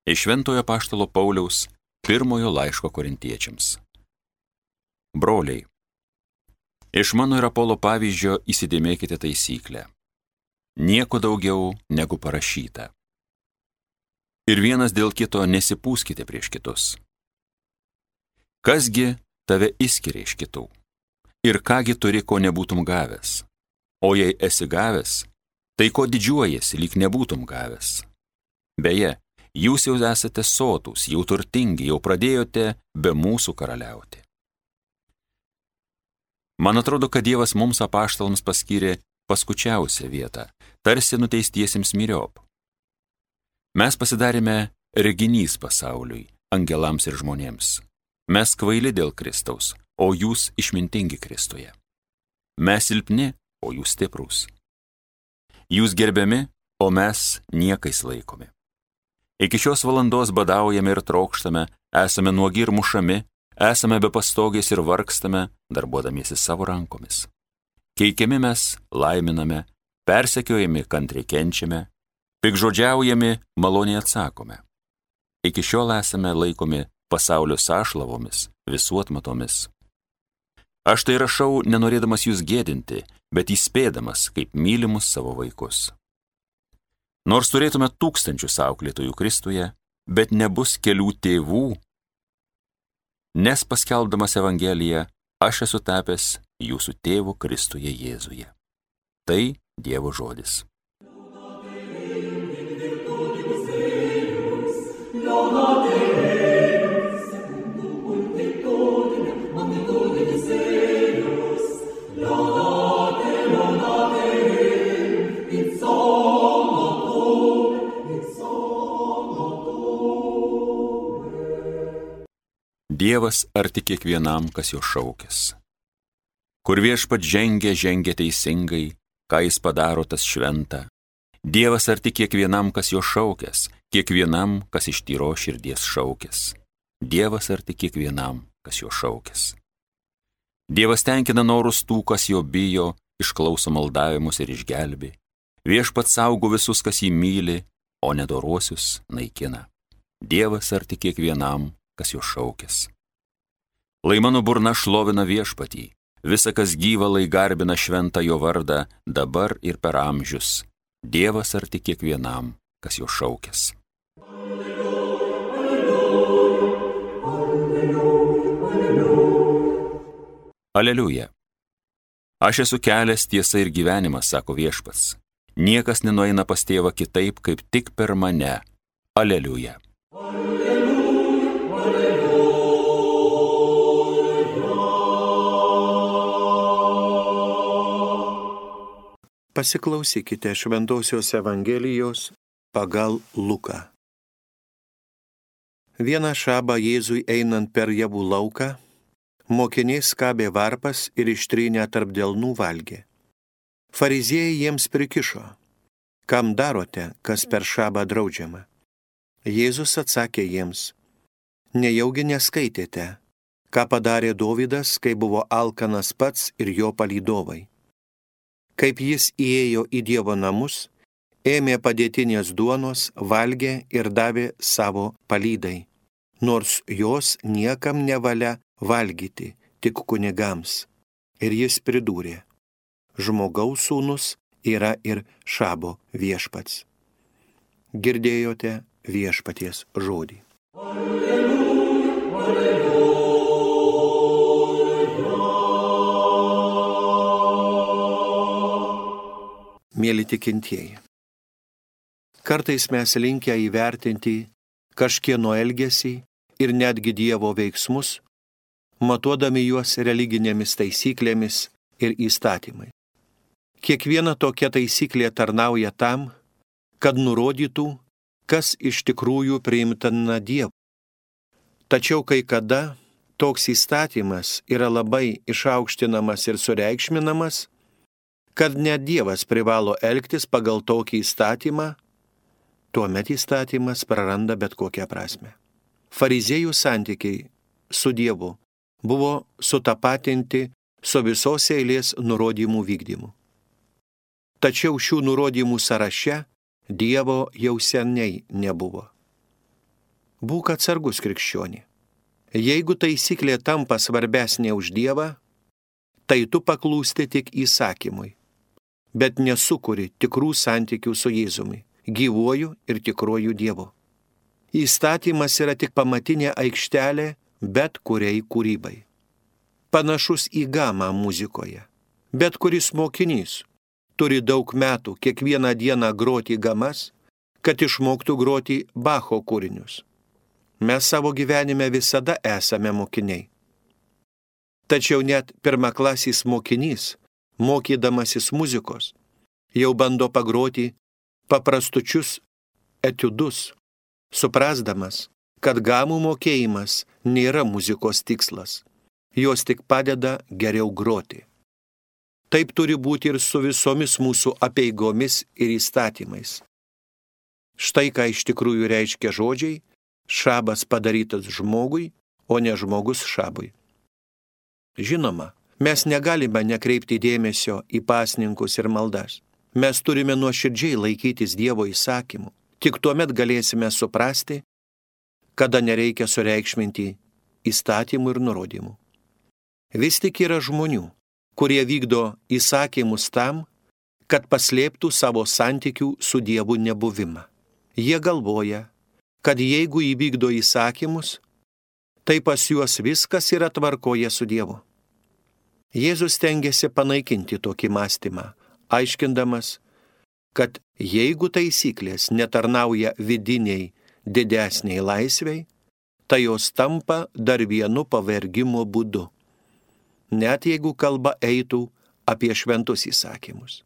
Iš Šventojo Apaštalo Pauliaus pirmojo laiško korintiečiams. Broliai, iš mano ir Apolo pavyzdžio įsidėmėkite taisyklę. Nieko daugiau negu parašyta. Ir vienas dėl kito nesipūskite prieš kitus. Kasgi tave išskiria iš kitų? Ir kągi turi, ko nebūtum gavęs? O jei esi gavęs, tai ko didžiuojasi, lyg nebūtum gavęs? Beje, jūs jau esate sotūs, jau turtingi, jau pradėjote be mūsų karaliauti. Man atrodo, kad Dievas mums apaštalams paskyrė paskučiausią vietą, tarsi nuteistiesiems myriop. Mes pasidarėme reginys pasauliui, angelams ir žmonėms. Mes kvaili dėl Kristaus, o jūs išmintingi Kristuje. Mes silpni, o jūs stiprūs. Jūs gerbiami, o mes niekais laikomi. Iki šios valandos badaujame ir trokštame, esame nuogi ir mušami, esame be pastogės ir vargstame, darbuodamiesi savo rankomis. Keikiami mes laiminame, persekiojami kantriai kenčiame, pikžodžiaujami maloniai atsakome. Iki šiol esame laikomi pasaulio sąšlavomis, visuotmatomis. Aš tai rašau, nenorėdamas jūs gėdinti, bet įspėdamas, kaip mylimus savo vaikus. Nors turėtume tūkstančius auklėtojų Kristuje, bet nebus kelių tėvų, nes paskelbdamas Evangeliją, aš esu tapęs jūsų tėvu Kristuje Jėzuje. Tai Dievo žodis. Dievas arti kiekvienam, kas jo šaukės. Kur viešpat žengia teisingai, ką jis padaro, tas šventa. Dievas arti kiekvienam, kas jo šaukės, kiekvienam, kas iš tyros širdies šaukės. Dievas arti kiekvienam, kas jo šaukės. Dievas tenkina norus tų, kas jo bijo, išklauso maldavimus ir išgelbi. Viešpat saugo visus, kas jį myli, o nedoruosius naikina. Dievas arti kiekvienam, kas jo šaukės. Lai mano burna šlovina viešpatį, visa, kas gyva, lai garbina šventą jo vardą, dabar ir per amžius. Dievas arti kiekvienam, kas jo šaukės. Aleliuja. Aš esu kelias, tiesa ir gyvenimas, sako viešpats. Niekas nenueina pas tėvą kitaip, kaip tik per mane. Aleliuja. Pasiklausykite Šventosios Evangelijos pagal Luką. Vieną šabą Jėzui einant per javų lauką, mokiniai skabė varpas ir ištrynę tarp delnų valgė. Fariziejai jiems prikišo: kam darote, kas per šabą draudžiama? Jėzus atsakė jiems: nejaugi neskaitėte, ką padarė Dovydas, kai buvo alkanas pats ir jo palydovai? Kaip jis įėjo į Dievo namus, ėmė padėtinės duonos, valgė ir davė savo palydai, nors jos niekam nevalia valgyti, tik kunigams. Ir jis pridūrė: žmogaus sūnus yra ir šabo viešpats. Girdėjote viešpaties žodį. Mėly tikintieji, kartais mes linkę įvertinti kažkieno elgesį ir netgi Dievo veiksmus, matuodami juos religinėmis taisyklėmis ir įstatymai. Kiekviena tokia taisyklė tarnauja tam, kad nurodytų, kas iš tikrųjų priimtina Dievui. Tačiau kai kada toks įstatymas yra labai išaukštinamas ir sureikšminamas, kad net Dievas privalo elgtis pagal tokį įstatymą, tuomet įstatymas praranda bet kokią prasmę. Fariziejų santykiai su Dievu buvo sutapatinti su visos eilės nurodymų vykdymu. Tačiau šių nurodymų sąraše Dievo jau seniai nebuvo. Būk atsargus, krikščionį. Jeigu taisyklė tampa svarbesnė už Dievą, tai tu paklūsti tik įsakymui, bet nesukuri tikrų santykių su Jėzumi, gyvuoju ir tikruoju Dievu. Įstatymas yra tik pamatinė aikštelė bet kuriai kūrybai. Panašus į gamą muzikoje. Bet kuris mokinys turi daug metų kiekvieną dieną groti gamas, kad išmoktų groti Bacho kūrinius. Mes savo gyvenime visada esame mokiniai. Tačiau net pirmaklasis mokinys, mokydamasis muzikos, jau bando pagroti paprastučius etiudus, suprasdamas, kad gamų mokėjimas nėra muzikos tikslas, jos tik padeda geriau groti. Taip turi būti ir su visomis mūsų apeigomis ir įstatymais. Štai ką iš tikrųjų reiškia žodžiai: šabas padarytas žmogui, o ne žmogus šabui. Žinoma, mes negalime nekreipti dėmesio į pasninkus ir maldas. Mes turime nuoširdžiai laikytis Dievo įsakymų. Tik tuomet galėsime suprasti, kada nereikia sureikšminti įstatymų ir nurodymų. Vis tik yra žmonių, kurie vykdo įsakymus tam, kad paslėptų savo santykių su Dievu nebuvimą. Jie galvoja, kad jeigu įvykdo įsakymus, tai pas juos viskas yra tvarkoje su Dievu. Jėzus stengiasi panaikinti tokį mąstymą, aiškindamas, kad jeigu taisyklės netarnauja vidiniai didesniai laisvei, tai jos tampa dar vienu pavergimo būdu, net jeigu kalba eitų apie šventus įsakymus.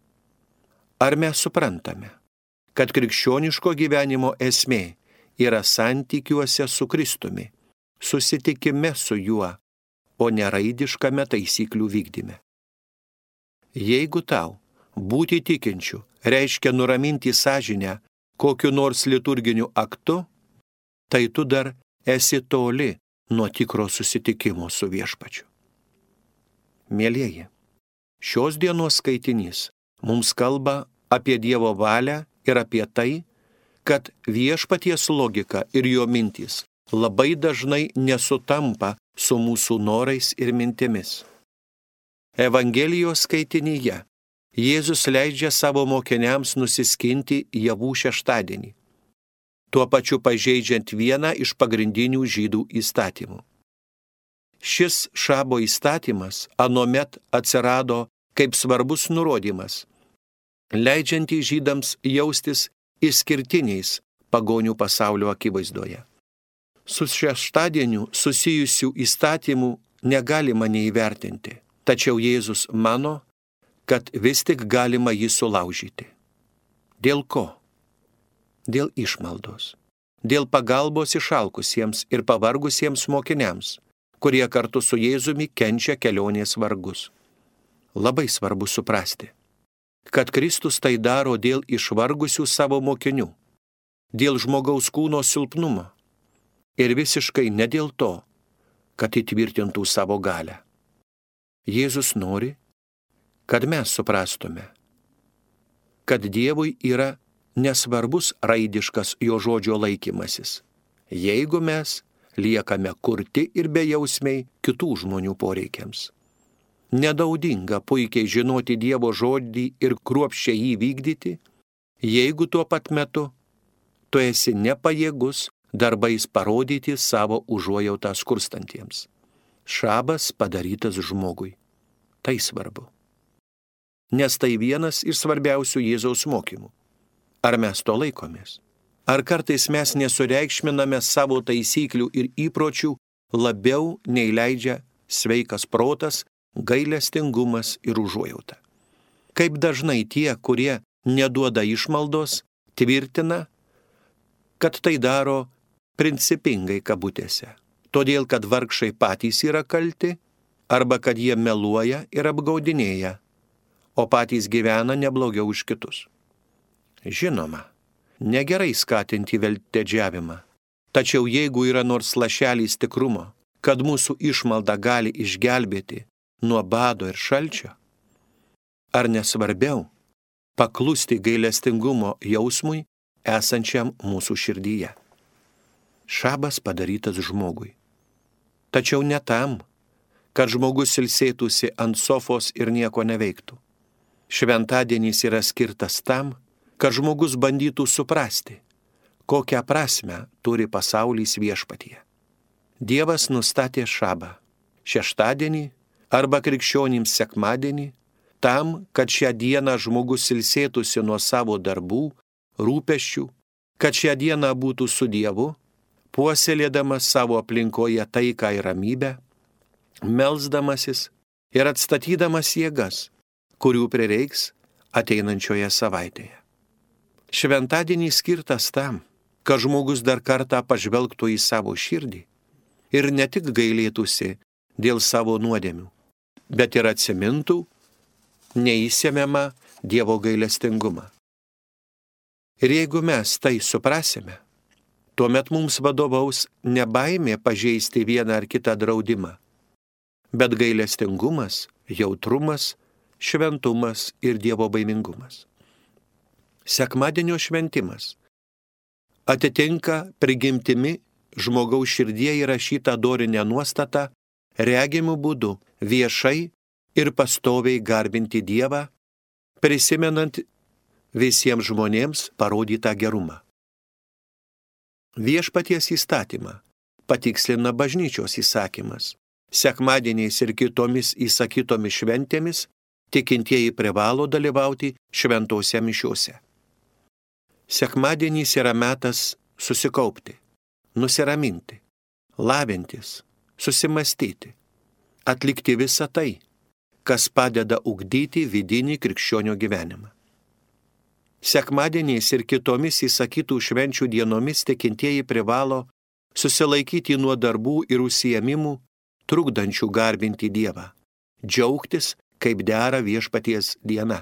Ar mes suprantame, kad krikščioniško gyvenimo esmė yra santykiuose su Kristumi, susitikime su juo, o ne raidiškame taisyklių vykdyme? Jeigu tau būti tikinčiu reiškia nuraminti sąžinę kokiu nors liturginiu aktu, tai tu dar esi toli nuo tikro susitikimo su Viešpačiu. Mielieji, šios dienos skaitinys mums kalba apie Dievo valią ir apie tai, kad Viešpaties logika ir jo mintys labai dažnai nesutampa su mūsų norais ir mintimis. Evangelijos skaitinyje Jėzus leidžia savo mokiniams nusiskinti javų šeštadienį, tuo pačiu pažeidžiant vieną iš pagrindinių žydų įstatymų. Šis šabo įstatymas anuomet atsirado kaip svarbus nurodymas, leidžiantį žydams jaustis išskirtiniais pagonių pasaulio akivaizdoje. Su šeštadieniu susijusių įstatymų negalima neįvertinti, tačiau Jėzus mano, kad vis tik galima jį sulaužyti. Dėl ko? Dėl išmaldos. Dėl pagalbos išalkusiems ir pavargusiems mokiniams, kurie kartu su Jėzumi kenčia kelionės vargus. Labai svarbu suprasti, kad Kristus tai daro dėl išvargusių savo mokinių, dėl žmogaus kūno silpnumo ir visiškai ne dėl to, kad įtvirtintų savo galią. Jėzus nori, kad mes suprastume, kad Dievui yra nesvarbus raidiškas jo žodžio laikymasis, jeigu mes liekame kurti ir bejausmiai kitų žmonių poreikiams. Nenaudinga puikiai žinoti Dievo žodį ir kruopščiai jį vykdyti, jeigu tuo pat metu tu esi nepajėgus darbais parodyti savo užuojautą skurstantiems. Šabas padarytas žmogui. Tai svarbu. Nes tai vienas iš svarbiausių Jėzaus mokymų. Ar mes to laikomės? Ar kartais mes nesureikšminame savo taisyklių ir įpročių labiau nei leidžia sveikas protas, gailestingumas ir užuojauta? Kaip dažnai tie, kurie neduoda išmaldos, tvirtina, kad tai daro principingai kabutėse, todėl kad vargšai patys yra kalti, arba kad jie meluoja ir apgaudinėja, o patys gyvena neblogiau už kitus. Žinoma, negerai skatinti veltėdžiavimą, tačiau jeigu yra nors lašelis tikrumo, kad mūsų išmalda gali išgelbėti nuo bado ir šalčio, ar nesvarbiau paklusti gailestingumo jausmui esančiam mūsų širdyje? Šabas padarytas žmogui. Tačiau ne tam, kad žmogus ilsėtųsi ant sofos ir nieko neveiktų. Šventadienis yra skirtas tam, kad žmogus bandytų suprasti, kokią prasmę turi pasaulis viešpatyje. Dievas nustatė šabą, šeštadienį arba krikščionims sekmadienį, tam, kad šią dieną žmogus ilsėtųsi nuo savo darbų, rūpesčių, kad šią dieną būtų su Dievu, puoselėdamas savo aplinkoje taiką ir ramybę, melsdamasis ir atstatydamas jėgas, kurių prireiks ateinančioje savaitėje. Šventadienis skirtas tam, kad žmogus dar kartą pažvelgtų į savo širdį ir ne tik gailėtųsi dėl savo nuodėmių, bet ir atsimintų neįsemiamą Dievo gailestingumą. Ir jeigu mes tai suprasime, tuomet mums vadovaus ne baimė pažeisti vieną ar kitą draudimą, bet gailestingumas, jautrumas, šventumas ir Dievo baimingumas. Sekmadienio šventimas atitinka prigimtimi žmogaus širdie įrašytą dorinę nuostatą regimų būdu viešai ir pastoviai garbinti Dievą, prisimenant visiems žmonėms parodytą gerumą. Viešpaties įstatymą patikslina bažnyčios įsakymas. Sekmadieniais ir kitomis įsakytomis šventėmis tikintieji privalo dalyvauti šventose mišiose. Sekmadienis yra metas susikaupti, nusiraminti, lavintis, susimastyti, atlikti visą tai, kas padeda ugdyti vidinį krikščionio gyvenimą. Sekmadieniais ir kitomis įsakytų švenčių dienomis tikintieji privalo susilaikyti nuo darbų ir užsiėmimų, trukdančių garbinti Dievą, džiaugtis, kaip dera viešpaties diena,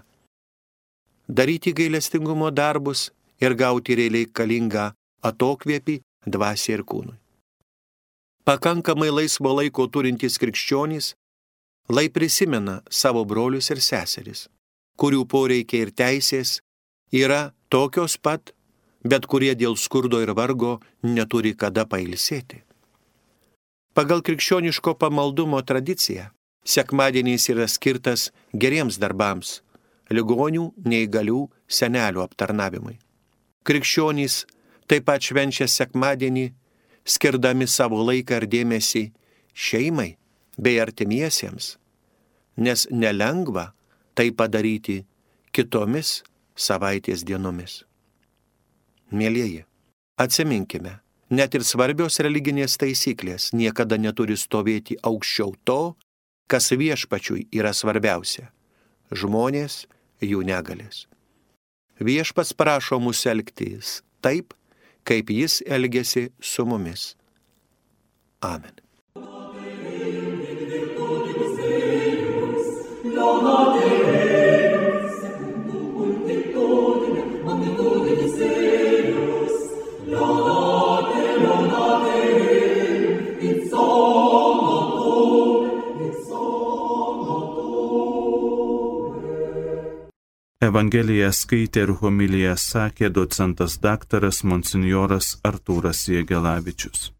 daryti gailestingumo darbus ir gauti reikalingą atokvėpį dvasiai ir kūnui. Pakankamai laisvo laiko turintys krikščionys lai prisimena savo brolius ir seseris, kurių poreikiai ir teisės yra tokios pat, bet kurie dėl skurdo ir vargo neturi kada pailsėti. Pagal krikščioniško pamaldumo tradiciją, sekmadienis yra skirtas geriems darbams, ligonių, neįgalių, senelių aptarnavimui. Krikščionys taip pat švenčia sekmadienį, skirdami savo laiką ir dėmesį šeimai bei artimiesiems, nes nelengva tai padaryti kitomis savaitės dienomis. Mielieji, atsiminkime, net ir svarbios religinės taisyklės niekada neturi stovėti aukščiau to, kas viešpačiui yra svarbiausia – žmonės, jų negalės. Viešpats prašo mus elgtis taip, kaip jis elgiasi su mumis. Amen. Evangeliją skaitė ir homiliją sakė docentas daktaras monsinjoras Artūras Jėgelavičius.